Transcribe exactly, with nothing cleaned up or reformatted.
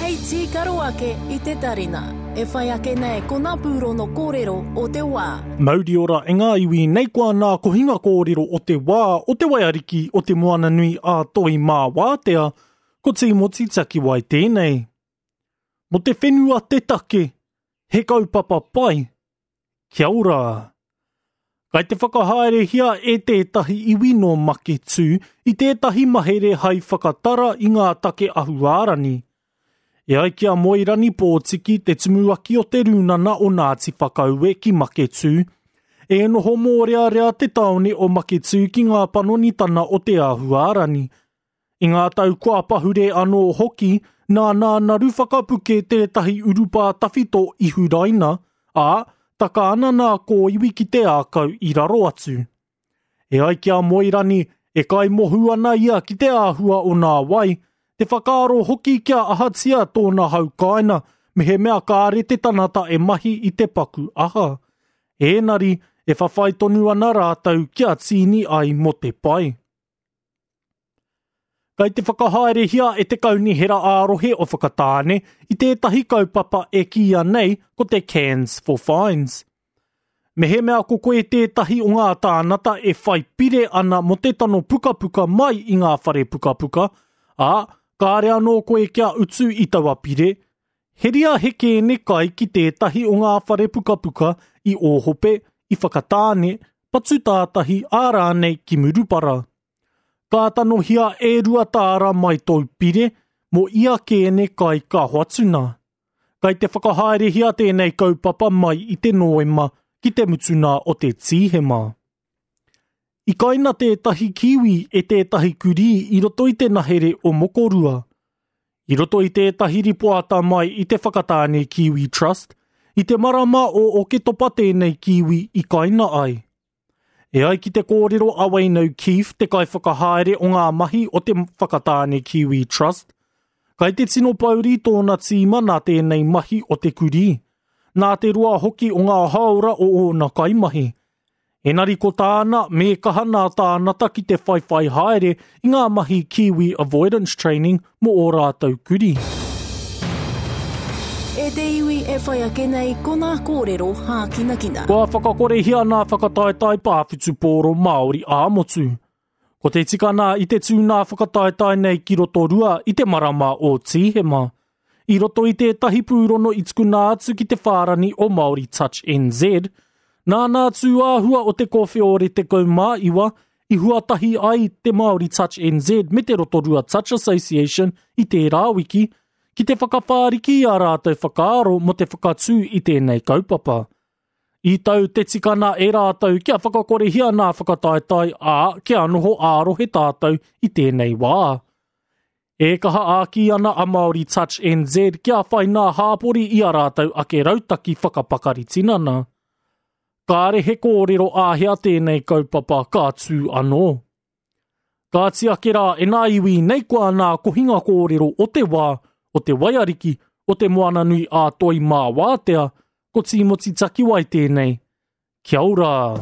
Hei tīkaro ake i te tarina. E whai ake nei ko ngā pūrono kōrero o te wā. Mauri ora e ngā iwi nei koa nā kohinga kōrero o te wā o te waiariki o te moana nui a Toi Mā Wātea, ko Tīmoti Takiwai tēnei. Mo te whenua te take, he kaupapa pai, kia ora. Kai te whakahaerehia e tētahi iwi no Maketū i tētahi mahere hai whakatara i ngā take ahuārani. E ai ki a Moerani Pōtiki te tumuaki o te rūnana o Ngāti Whakaue ki Maketū, e noho mōrearea te taone o Maketū ki ngā panonitana o te ahuārani. I ngā tau kua pahure anō hoki, nā nā naru whakapuke tētahi urupā tawhito i huraina, ā, taka ana nā kōiwi ki te ākau i raro atu. E ai ki a Moerani, e kaimohu ana ia ki te āhua o nā wai, te whakaaro hoki kia ahatia tōna haukaina, me he mea kāre te tanata e mahi i te paku aha. Ēnari, e whawhai tonu ana rātou kia tīni ai mo te pai. Kai te whakahaerehia e te kaunihera ā-rohe o Whakatāne i tētahi kaupapa e kīia nei ko te Cans for Fines. Me he mea ko koe tētahi o ngā tānata e whai pire ana mo te tano pukapuka mai i ngā whare pukapuka, ā, kāre anō koe kia utu i taua pire, heria he kēne kai ki tētahi o ngā whare pukapuka i Ōhope, i Whakatāne, Patutātahi ā rānei ki Murupara. Ka tanohia e rua tāra mai tōu pire, mo ia kēne kai ka hoatuna. Kai te whakahaerehia tēnei kaupapa mai i te Noema ki te mutuna o te Tīhema. I kaina tētahi kiwi e tētahi kurī i roto i te nahere o Mokorua. I roto i tētahi ripoata mai i te Whakatāne Kiwi Trust, i te marama o Oketopa tēnei kiwi i kaina ai. E ai ki te kōrero a Wayne O'Keefe, te kaiwhakahaere o ngā mahi o te Whakatāne Kiwi Trust, kai te tino pauri tōna tīma nā tēnei mahi o te kurī, nā te roa hoki o ngā haora o ōna kaimahi. Enari ko tāna, me kaha nā tānata ki te whaiwhai haere i ngā mahi Kiwi Avoidance Training mō ō rātou kurī. E te iwi e whai ake nei ko ngā kōrero hākinakina. Kua whakakorehia nā whakataetae pāwhutupōro Māori ā-motu. Ko te tikana i te tū nā whakataetae nei ki Rotorua i te marama o Tīhema. I roto i tētahi pūrono i tukuna atu ki te whārani o Māori Touch N Z, nā nā tūāhua o te kōwheore te kaumā iwa i huatahi ai te Māori Touch N Z me te Rotorua Touch Association i tērā wiki, ki te whakawhāriki a rātou whakaaro mo te whakatū i tēnei kaupapa. I tau te tikana e rātou kia whakakorehia nā whakataetae ā kia noho ārohe tātou i tēnei wā. E kaha āki ana a Māori Touch N Z kia whai nā hāpori i a rātou ake rautaki whakapakari tinana. Kāre he kōrero āhea tēnei kaupapa ka tū anō. Ka tiake rā e nā iwi nei koa nā kohinga kōrero o te wā, o te waiariki, o te moana nui a Toi Mā Wātea, ko Tīmoti Takiwai tēnei. Kia ora!